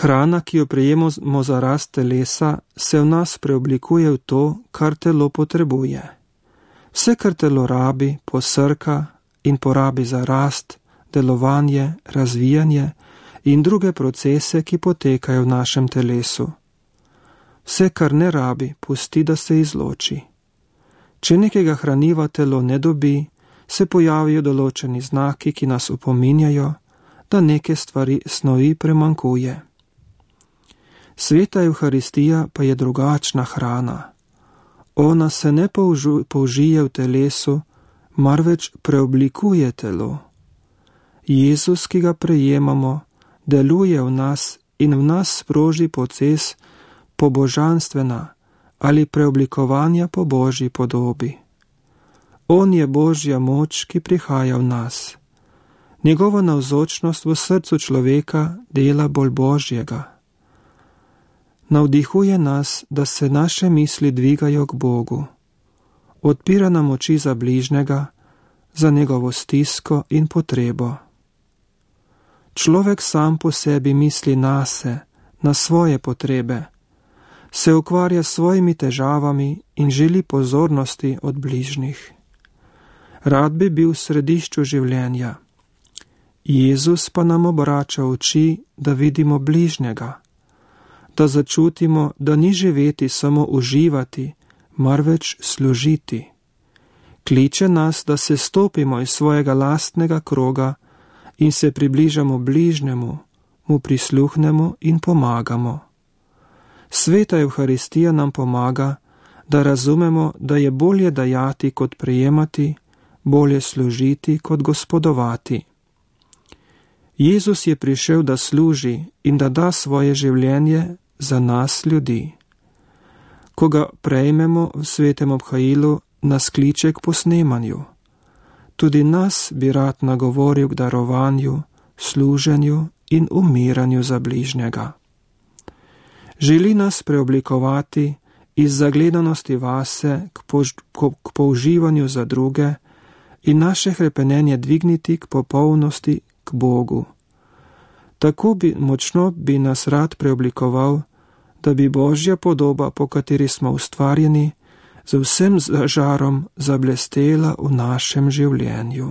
Hrana, ki jo prejemamo za rast telesa, se v nas preoblikuje v to, kar telo potrebuje. Vse, kar telo rabi, posrka in porabi za rast, delovanje, razvijanje in druge procese, ki potekajo v našem telesu. Vse, kar ne rabi, pusti, da se izloči. Če nekega hraniva telo ne dobi, se pojavijo določeni znaki, ki nas opominjajo, da neke snovi premankuje. Sveta Evharistija pa je drugačna hrana. Ona se ne použije v telesu, marveč preoblikuje telo. Jezus, ki ga prejemamo, deluje v nas in v nas sproži proces pobožanstvena ali preoblikovanja po Božji podobi. On je Božja moč, ki prihaja v nas. Njegova navzočnost v srcu človeka dela bolj Božjega. Navdihuje nas, da se naše misli dvigajo k Bogu. Odpira nam oči za bližnjega, za njegovo stisko in potrebo. Človek sam po sebi misli nase, na svoje potrebe, se ukvarja s svojimi težavami in želi pozornosti od bližnjih. Rad bi bil v središču življenja. Jezus pa nam obrača oči, da vidimo bližnjega, da začutimo, da ni živeti samo uživati, marveč služiti. Kliče nas, da se stopimo iz svojega lastnega kroga in se približamo bližnjemu, mu prisluhnemo in pomagamo. Sveta Evharistija nam pomaga, da razumemo, da je bolje dajati kot prejemati, bolje služiti kot gospodovati. Jezus je prišel, da služi in da da svoje življenje za nas ljudi. Ko ga prejmemo v svetem obhajilu, nas kliče k posnemanju. Tudi nas bi rad nagovoril k darovanju, služenju in umiranju za bližnjega. Želi nas preoblikovati iz zagledanosti vase k použivanju za druge in naše hrepenenje dvigniti k popolnosti, k Bogu. Tako močno bi nas rad preoblikoval, da bi Božja podoba, po kateri smo ustvarjeni, z vsem žarom zablestela v našem življenju.